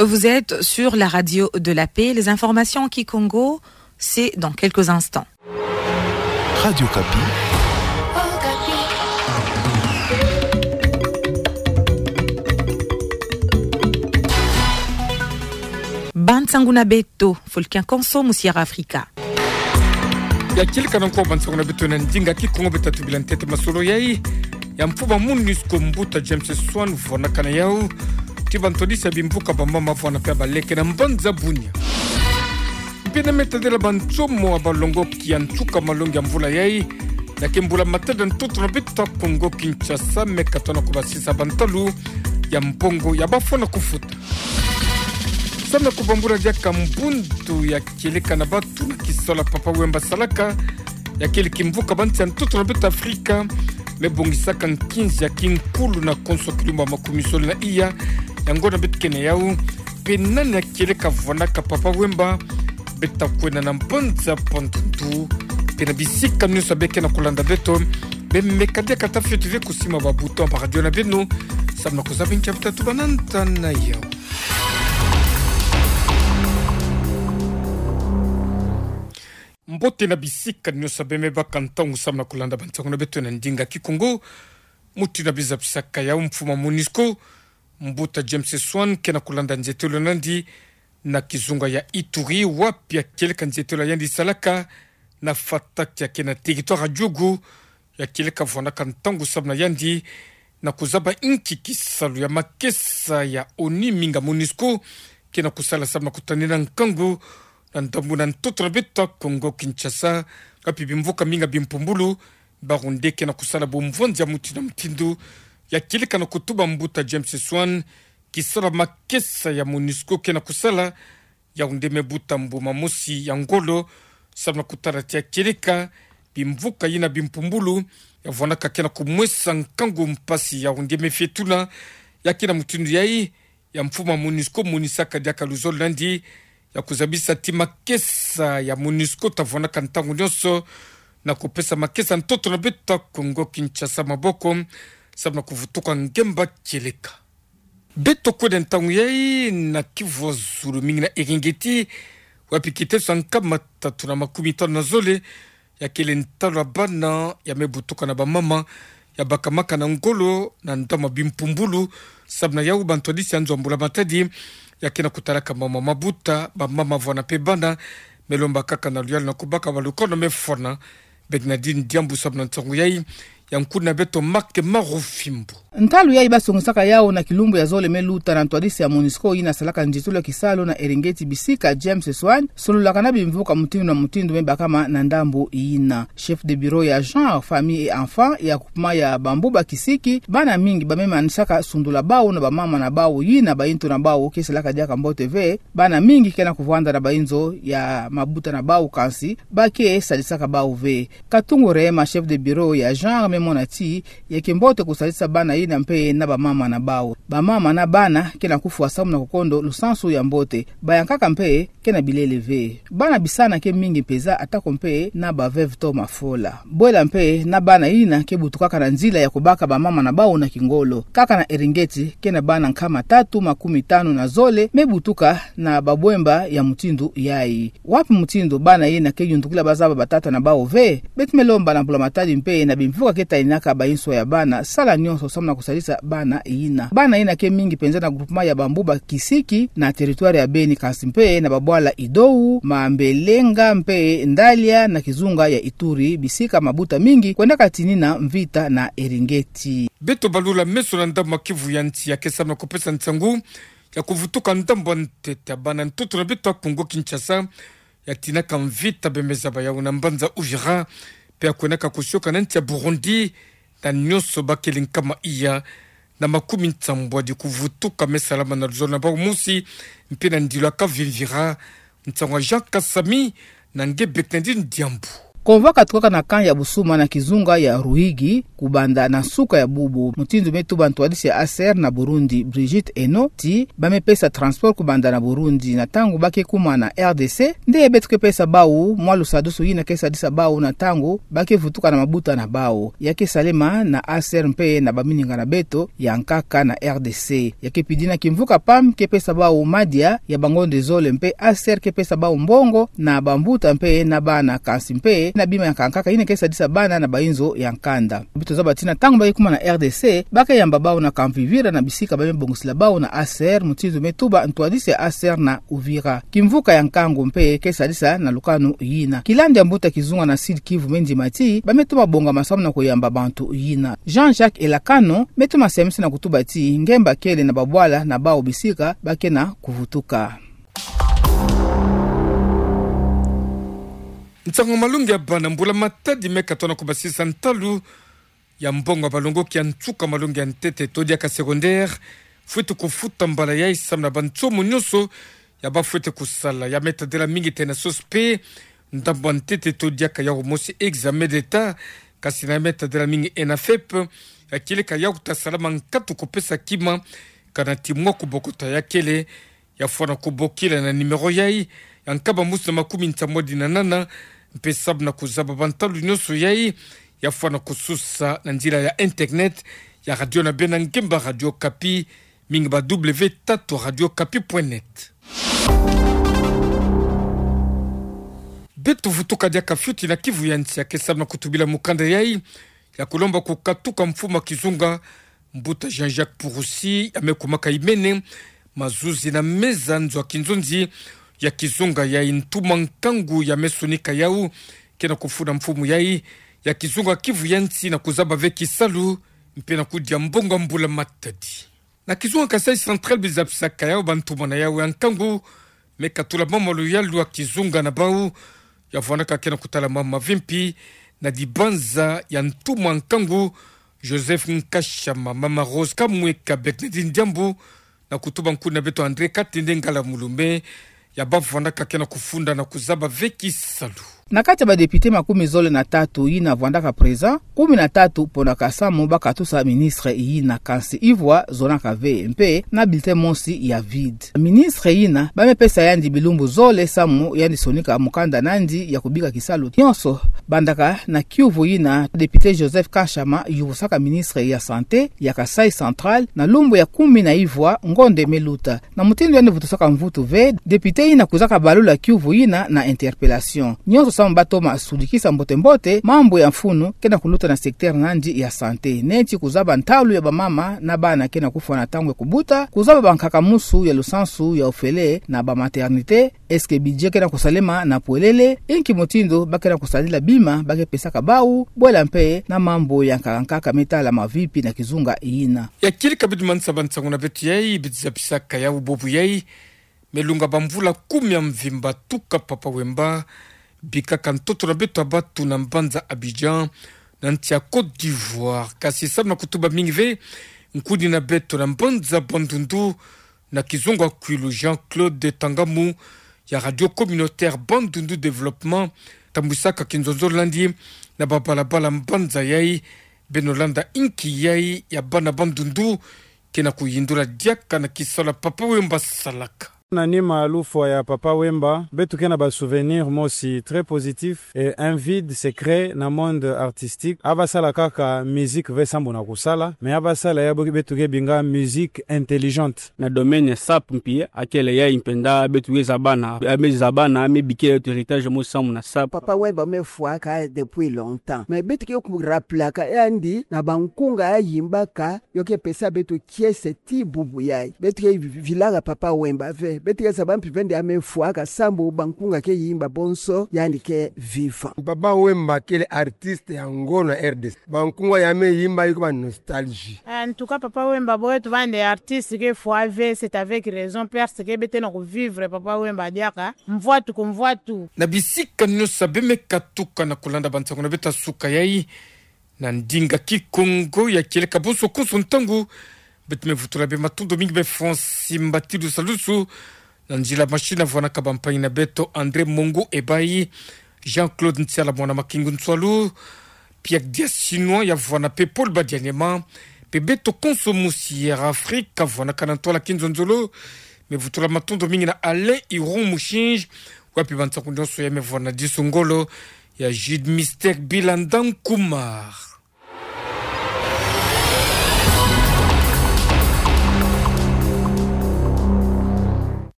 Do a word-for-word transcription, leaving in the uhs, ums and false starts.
Vous êtes sur la radio de la paix. Les informations en kikongo, c'est dans quelques instants. Radio Okapi. Bansangu na beto, Fulcan Konso, mu Sierra Africa. Ya kieleka na nko bansangu na beto na ndinga kikongo. Beta tubila ntete masolo yai. Ya mfumu MONUSCO mbuta James Swan vwanakana yau ti bantwadisi ya bimvuka bamama vwana pe ya baleke na mbanza Bunia. Mpe na metadila bansomo ya balongoki ya nsuka malongi ya mvula yai, ya ke mbula matadi ya ntoto na beto ya Kongo Kinshasa, me katona kubasisa bantalu ya mbongo ya bafwana kufuta. Samu na kubambula diaka mbundu ya kieleka na batu na kisalu ya Papa Wemba asalaka, ya kele kimvuka bansi ya ntoto na beto Afrika me bongisaka nkinzi ya kinkulu na konso kilumbu ya makumi zole na iya ya ngonda beto ke na yau. Mpe nani ya kieleka vwanaka Papa Wemba? Beta kwenda na mbanza Bandundu, mpe na bisika nyonso ya beke na kulanda beto, beno me kadiaka ta fioti ve kusima ba bouton ba radio na beno, samu na kuzaba nkia beta tuba na nta na yau. Mbote na bisika nyonso beno me baka ntangu samu na kulanda bansangu na beto na ndinga kikongo. Mutindu na biza bisaka yau, mfumu MONUSCO mbuta James Swan ke na kulanda nzietelo na yandi na kizunga ya Ituri, wapi ya kieleka nzietelo ya yandi salaka na Fatak ya ke na territoire ya Djugu. Ya kieleka vwanaka ntangu samu na yandi na kuzaba inki kisalu ya makesa ya ONU minga MONUSCO ke na kusala samu na kutanina nkangu na ndambu na ntoto na beto ya Kongo Kinshasa, wapi bimvuka minga bimpumbulu barunde ke na kusala bumvonzi ya mutindu na mutindu. Ya kieleka na kutuba mbuta James Swan kisalu ya makesa ya MONUSCO ke na kusala, ya wunde me buta mbuma mosi ya ngolo, samu na kutala ti ya kieleka bimvuka yina bimpumbulu ya vwanaka ke na kumwesa nkangu mpasi ya wunde me fietula. Ya ke na mutindu yai, ya mfumu MONUSCO monisaka diaka luzolo na yandi ya kuzabisa ti makesa ya MONUSCO ta vwanaka ntangu nyonso na kupesa makesa ntoto na beto ya Kongo Kinshasa maboko, samu na kuvutuka ngemba kieleka. Beto kwenda ntangu yai na Kivu ya zulu, mingi na Eringeti, wapi kiteso ya nkama tatu na makumi tanu na zole ya kele ntalu ya bana ya me butuka na bamama ya bakamaka na ngolo na ndambu ya bimpumbulu. Samu na yau, bantwadisi ya nzo ya mbula matadi ya ke na kutalaka mama mabuta, bamama vwana mpe bana, me lomba kaka na luyalu na kubaka balukono me fwana. Bernardine Diambu samu na nsangu yai, ya nkuna beto Marc Marufimbo. Ntalu yai basongisaka yau na kilumbu ya zole me luta na ntwadisi ya MONUSCO yina salaka nzitulu ya kisalu na Eringeti bisika James Swan, sololaka na bimvuka mutindu na mutindu me bakama na ndambu yina. Chef de bureau ya genre, famille et enfant ya groupement ya Bambuba Kisiki, bana mingi ba me manisaka sundula bau na bamama na bau yina bayintu na bau ke salaka diaka mbote ve. Bana mingi ke na kuvwanda na bayinzo ya mabuta na bau, kansi ba ke sadisaka bau ve. Katungu Rehema, chef de bureau ya genre, me mona ti ya ke mbote kusadisa bana yina mpe na bamama na bau. Bamama na bana ke na kufwa samu na kukondo lusansu ya mbote. Bayankaka mpe ke na bilele ve. Bana bisana ke mingi mpeza, atako mpe na ba veuve to mafola. Bwela mpe na bana yina ke butukaka na nzila ya kubaka bamama na bau na kingolo. Kaka na Eringeti ke na bana nkama tatu makumi tanu na zole me butuka na babwemba ya mutindu yai. Wapi mutindu bana yina ke yundukila bazaba batata na bau ve? Beto me lomba na mbula matadi mpe na bimvuka ke taninaka bayinswa ya bana, sala nyonso samu na kusadisa bana yina. Bana yina ke mingi mpenza na groupement ya Bambuba Kisiki na territoire ya Beni, kansi mpe na babwala Idou, Mambelenga mpe Ndalia na kizunga ya Ituri, bisika mabuta mingi kwendaka tinina mvita na Eringeti. Beto balula meso na ndambu ya Kivu ya nsi ya ke samu na kupesa nsangu ya kuvutuka ndambu ya ntete ya bana ntoto na beto ya Kongo Kinshasa ya tinaka mvita, beno me zaba yau na mbanza Uvira, mpe ya kwendaka kusioka na nsi ya Burundi, na nyonso ba kele nkama iya na makumi nsambwadi kuvutuka me salama na luzolo na bau mosi, mpe na ndilo ya Kavimvira. Nsangu ya Jean Kasami na nge Bernardine Diambu. Convoi katukaka na camp ya busuma na kizunga ya Ruigi, kubanda na nsuka ya bubu. Mutindu me tuba ntwadisi ya A C R na Burundi, Brigitte Eno, ti ba me pesa transport kubanda na Burundi na ntangu ba ke kuma na R D C, nde beto ke pesa bau mwa lusadusu yina ke sadisa bau na ntangu ba ke vutuka na mabuta na bau. Ya ke salema na A C R mpe na bamininga na beto ya nkaka na R D C. Ya ke pidi na kimvuka PAM ke pesa bau madia ya bangonde zole mpe A C R ke pesa bau mbongo na bambuta mpe na bana, kansi mpe na bima ya nkaka yina ke sadisa bana na bainzo ya nkanda. Beto zaba ti na ntangu ba ke kuma na R D C, ba ke yamba bau na kamvivira na bisika ba me bongisila bau na A C R, mutindu me tuba ntwadisi ya A C R na Uvira. Kimvuka ya Nkangu mpe ke sadisa na lukanu yina. Kilandu ya mbuta kizunga na Sud-Kivu me ndima ti ba me toma bongama samu na kuyamba bantu yina. Jean-Jacques Elakano me toma semisi na kutuba ti ngemba kele na babwala na bau bisika ba ke na kuvutuka. Nsangu malongi ya bana mbula matadi me katona kubasisa ntalu ya mbongo ya balongoki ya nsuka malongi ya ntete to diaka secondaire, fwete kufuta mbala yai samu na bansomo nyonso ya ba fwete kusala. Ya me tadila mingi tena SOSPE, ndambu ya ntete to diaka yau mosi examen d'État, kansi na ya me tadila mingi ENAFEP, ya kieleka yau ta salama nkatu kupesa kima, kana ti mwa kubokota ya kele, ya fwana kubokila na numéro yai, ya nkaba musu na makumi nsamwadi na nana, mpe samu na kuzaba bantalu nyonso yai, ya fwana kususa na nzila ya internet ya radio na bena ngemba Radio Okapi, mingi ba W tatu radio okapi point net. Beto vutuka diaka fioti na Kivu ya nsi ya ke samu na kutubila mukanda yai ya kulomba kukatuka mfumu ya kizunga, mbuta Jean-Jacques Purusi, ya me kumaka imene mazuzi na meza nzo ya kinzonzi ya kizunga yai. Ntuma nkangu ya me sonika yau ke na kufunda mfumu yai ya kizunga Kivu ya nsi na kuzaba ve kisalu mpe na kudia mbongo ya mbula matadi. Na kizunga Kasaï Central, bizapisaka yau bantuma na yau ya nkangu me katula mama luyalu ya kizunga na bau, ya vwandaka ke na kutala mama vimpi na dibanza ya ntuma nkangu Joseph Nkashama, mama Rose Kamweka, Bernadine Diambu, na kutuba nkuni na beto André Katende Ngala Mulume, ya ba vwandaka ke na kufunda na kuzaba ve kisalu. Na kati ya ba député makumi zole na tatu yina vwandaka présent, kumi na tatu ponaka samu ba katusa ministre yina, kansi ivwa zonaka ve, mpe na bulletin mosi ya vide. Ministre yina ba me pesa yandi bilumbu zole samu yandi sonika mukanda nandi ya kubika kisalu nyonso. Bandaka na kiuvu yina, député Joseph Nkashama yuvusaka ministre ya santé ya Kasaï Central na lumbu ya kumi na ivwa ngonde me luta. Na mutindu yandi vutusaka mvutu ve, député yina kwizaka balula kiuvu yina na interpellation. Nyonso samu ba toma sudikisa mbote-mbote mambu ya mfunu ke na kuluta na secteur nandi ya santé, neti kuzaba ntalu ya bamama na bana ke na kufwa na ntangu ya kubuta, kuzaba bankaka musu ya lusansu ya ofele na ba maternité, est-ce que budget ke na kusalema na pwelele, inki mutindu ba ke na kusadila bima ba ke pesaka bau, bwela mpe na mambu ya nkaka-nkaka me tala mavipi na kizunga yina. Ya kieleka bitu mansa ba nsangu na beto yai, bitu zapisaka yau bubu yai, me lunga bamvula kumi ya mvimba tuka Papa Wemba bikaka ntoto na beto ya batu na mbanza Abidjan, na nsi ya Côte d'Ivoire. Kasi samu na kutuba mingi ve nkuni na beto na mbanza Bandundu, na kizunga kwilu Jean-Claude Tangamu ya Radio Communautaire Bandundu Développement, tambwisaka kinzonzolo nandi na babalabala mbanza yai. Beno landa inki yai ya bana Bandundu ke na kuyindula diaka na kisalu ya Papa Wemba salaka. Na nima ya lufwa ya Papa Wemba, beto ke na ba souvenir mosi très positif et un vide se crée na monde artistique. A ba sala kaka musique ve sambu na kusala, mais a ba sala ya bo beto ke binga musique intelligente. Na domaine ya sap mpi, akele yai mpenda beto ke zabana, a me zabana, a me bikila beto héritage mosi samu na sap. Papa Wemba me fwaka depuis longtemps, mais beto ke ku rappelaka yandi na bankunga ya yimbaka, yo ke pesa beto kiese ti bubu yai. Beto ke vilaka Papa Wemba ve, beto ke zaba mpi ve nde a me fwaka sambu bankunga ke yimba bonso yandi ke vivant. Papa Wemba kele artiste ya ngolo na R D C. Bankunga ya me yimba yo ke ba nostalgie. En tout cas, Papa Wemba, bo beto bande artiste ke fwa ve, c'est avec raison, parce que beto ke na ku vivre Papa Wemba diaka mvwatu ku mvwatu. Na bisika nyonso be me katuka na kulanda ba nsangu na beto ya suka yai, na ndinga Kikongo ya kieleka bonso konso ntangu, beto me vutula be matondo mingi be Francis Mbatidu Salusu, na nzila machine ya vwanaka bampangi na beto André Mongo Ebayi, Jean-Claude Ntiala, mwana Makingu Nsualu. Piak dia Sinwa ya vwa na People Badia Nyema, pe Beto Konso Musi Air Afrique ka vwa na Kanantoa la Kinzonzolo. Mevutula matondo mingi na Alain Iron Mushinji, wapi bansaku nionso ya mevwa na diso ngolo ya Jude Mister Bilandan Kumar.